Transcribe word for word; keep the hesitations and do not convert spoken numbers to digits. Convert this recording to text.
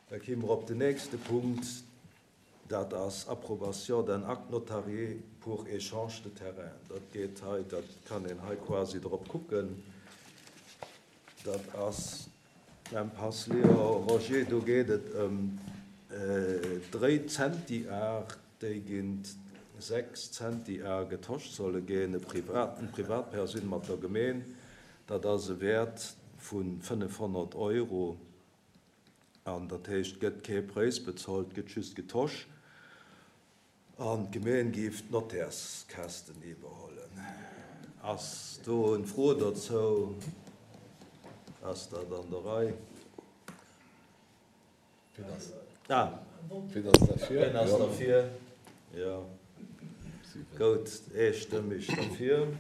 Da ki mer op den nächste Punkt, dat ass Approbation d'un acte notarié pour échange de terrain. Dat geet hei, dat kann een hei quasi drop kucken. Dat ass Impasse Léon Roger, do geet et ëm dréi Zentiar, déi géint sechs Zentiar getosch solle ginn, e Privat, eng Privatpersoun mat der Gemeen. Dat ass e Wäert vu fënnefhonnert Euro. An dat heescht, et gëtt kee Präis bezuelt, et gëtt just getosch. An d'Gemeen géif d'Notärskäschten iwwerhollen. Ass do eng Fro dozou? Ass dat an der Rei? Ah. Wien ass derfir? Wien ass derfir? Jo. Goud, eestëmmeg derfir.